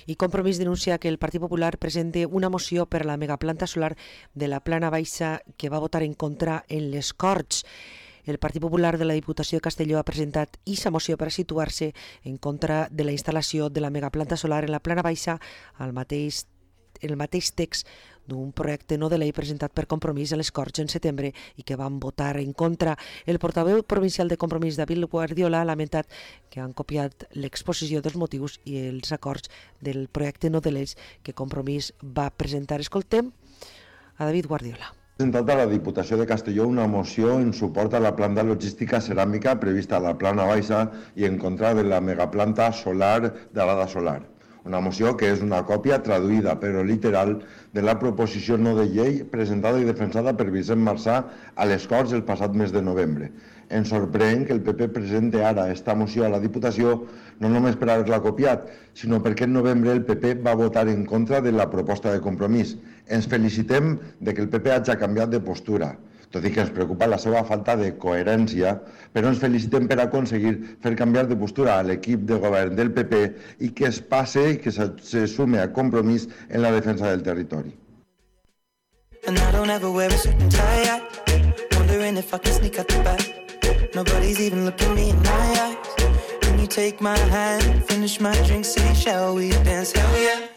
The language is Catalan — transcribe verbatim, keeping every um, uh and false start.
I Compromís denuncia que el Partit Popular presente una moció per la megaplanta solar de la Plana Baixa que va votar en contra en les Corts. El Partit Popular de la Diputació de Castelló ha presentat aquesta moció per a situar-se en contra de la instal·lació de la megaplanta solar en la Plana Baixa al mateix, el mateix text d'un projecte no de llei presentat per Compromís a les Corts en setembre i que van votar en contra. El portaveu provincial de Compromís, David Guardiola, ha lamentat que han copiat l'exposició dels motius i els acords del projecte no de llei que Compromís va presentar. Escoltem a David Guardiola. Ha presentat a la Diputació de Castelló una moció en suport a la planta logística ceràmica prevista a la Plana Baixa i en contra de la megaplanta solar de l'Ada Solar. Una moció que és una còpia traduïda, però literal, de la proposició no de llei presentada i defensada per Vicent Marsà a les Corts el passat mes de novembre. Ens sorprèn que el P P presente ara esta moció a la Diputació no només per haver-la copiat, sinó perquè en novembre el P P va votar en contra de la proposta de Compromís. Ens felicitem de que el P P hagi canviat de postura, tot i que ens preocupa la seva falta de coherència, però ens felicitem per aconseguir fer canviar de postura a l'equip de govern del P P i que es passe i que se, se sume a Compromís en la defensa del territori. And I don't ever wear a suit and tie, wondering if I can sneak out the back. Nobody's even looking me in my eyes. Can you take my hand, finish my drink, say shall we dance? Hell yeah.